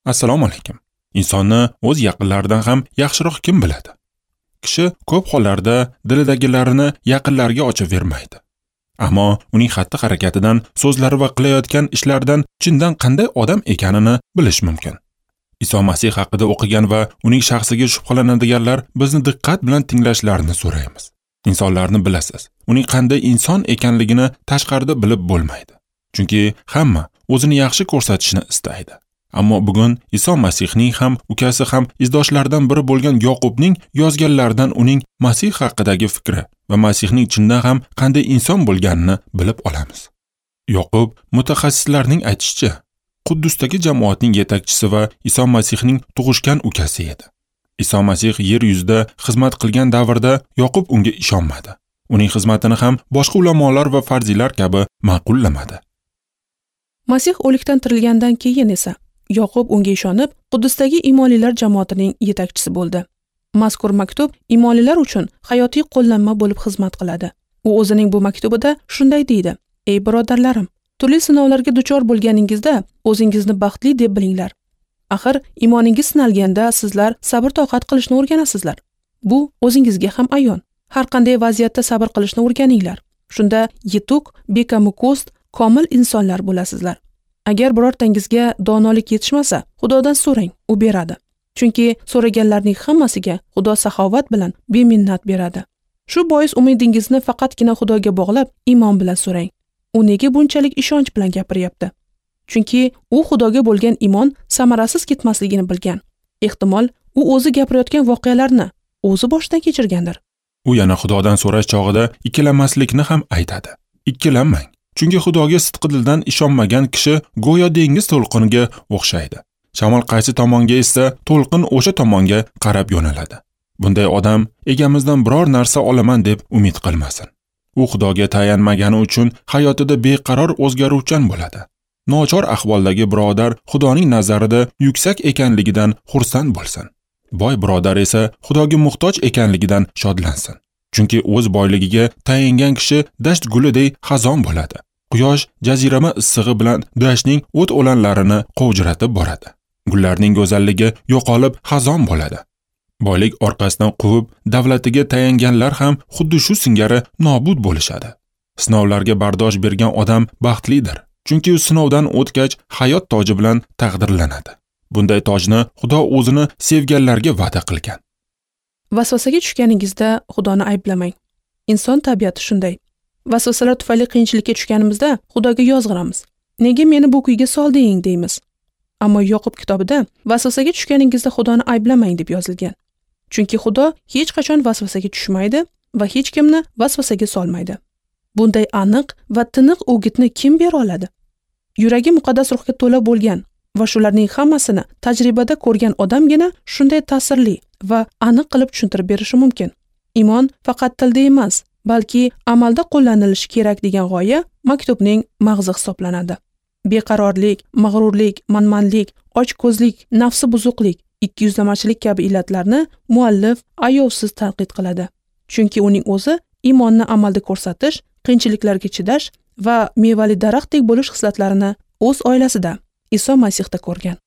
Assalomu alaykum. Insonni o'z yaqinlaridan ham yaxshiroq kim biladi? Kishi ko'p hollarda dilidagilarini yaqinlariga ochib bermaydi. Ammo uning xatti-harakatidan, so'zlari va qilayotgan ishlaridan chindan qanday odam ekanini bilish mumkin. Iso Masih haqida o'qigan va uning shaxsiga shubhalanadiganlar bizni diqqat bilan tinglashlarini so'raymiz. Insonlarni bilasiz. Uning qanday inson ekanligini tashqarida bilib bo'lmaydi. Chunki hamma o'zini yaxshi ko'rsatishni istaydi. Ammo bugun Iso Masihning ham, ukasi ham izdoshlaridan biri bo'lgan Yoqubning yozganlaridan uning Masih haqidagi fikri va Masihning chindan ham qanday inson bo'lganini bilib olamiz. Yoqub mutaxassislarning aytishicha, Quddusdagi jamoatning yetakchisi va Iso Masihning tug'ishgan ukasi edi. Iso Masih yer yuzida xizmat qilgan davrda Yoqub unga ishonmadi. Uning xizmatini ham boshqa ulamolar va farziylar kabi ma'qullamadi. Masih o'likdan tirilgandan keyin esa Yoqub unga ishonib, Quddusdagi imonlilar jamoatining yetakchisi bo'ldi. Mazkur maktub imonlilar uchun hayotiy qo'llanma bo'lib xizmat qiladi. U o'zining bu maktubida shunday deydi: "Ey birodarlarim, turli sinovlarga duchor bo'lganingizda o'zingizni baxtli deb bilinglar. Axir imoningiz sinalganda sizlar sabr-toqat qilishni o'rganasizlar. Bu o'zingizga ham ayon. Har qanday vaziyatda sabr qilishni o'rganinglar. Shunda yetuk, bekamu-ko'st, komil insonlar bo'lasizlar. Agar birortangizga donolik yetishmasa, Xudodan so'rang, u beradi. Chunki so'raganlarning hammasiga Xudo saxovat bilan beminnat beradi. Shu bois umidingizni faqatgina Xudoga bog'lab, iymon bilan so'rang." U nega bunchalik ishonch bilan gapiryapti? Chunki u Xudoga bo'lgan iymon samarasiz ketmasligini bilgan. Ehtimol, u o'zi gapirayotgan voqealarni o'zi boshdan kechirgandir. U yana Xudodan so'rash chog'ida ikkilanmaslikni ham aytadi. Ikkilanmang. Chunki Xudoga sidqidildan ishonmagan kishi go'yo dengiz to'lqiniga o'xshaydi. Shamol qaysi tomonga essa, to'lqin o'sha tomonga qarab yo'naladi. Bunday odam egamizdan biror narsa olaman deb umid qilmasin. U Xudoga tayanmagani uchun hayotida beqaror o'zgaruvchan bo'ladi. Nochor ahvoldagi birodar Xudoning nazarida yuksak ekanligidan xursand bo'lsin. Boy birodar esa Xudoga muhtoj ekanligidan shodlansin. Chunki o'z boyligiga tayangan kishi dasht gulidek xazon bo'ladi. Quyosh jazirama issig'i bilan dashtning o't o'lanlarini qovjiratib boradi. Gullarning go'zalligi yo'qolib xazon bo'ladi. Boylik orqasidan quvib, davlatiga tayanganlar ham xuddi shu singari nobud bo'lishadi. Sinovlarga bardosh bergan odam baxtlidir. Chunki u sinovdan o'tgach hayot toji bilan taqdirlanadi. Bunday tojni Xudo o'zini sevganlarga va'da qilgan. Vasvasaga tushganingizda Xudoni ayblamang. Inson tabiati shunday. Vasvasalar tufayli qiyinchilikka tushganimizda Xudoga yozg'iramiz. Nega meni bu kuyga solding deymiz. Ammo Yoqub kitobida vasvasaga tushganingizda Xudoni ayblamang deb yozilgan. Chunki Xudo hech qachon vasvasaga tushmaydi va hech kimni vasvasaga solmaydi. Bunday aniq va tiniq o'gitni kim bera oladi? Yuragi muqaddas ruhga to'la bo'lgan va shularning hammasini tajribada ko'rgan odamgina shunday ta'sirli va aniq qilib tushuntirib berishi mumkin. Iymon faqat tilda emas, balki amalda qo'llanilishi kerak degan g'oya maktubning mag'zi hisoblanadi. Beqarorlik, mag'rurlik, manmanlik, ochko'zlik, nafsi buzuqlik, ikkiyuzlamachilik kabi illatlarni muallif ayovsiz tanqid qiladi. Chunki uning o'zi iymonni amalda ko'rsatish, qiyinchiliklarga chidash va mevali daraxtdek bo'lish xislatlarini o'z oilasida Iso Masihda ko'rgan.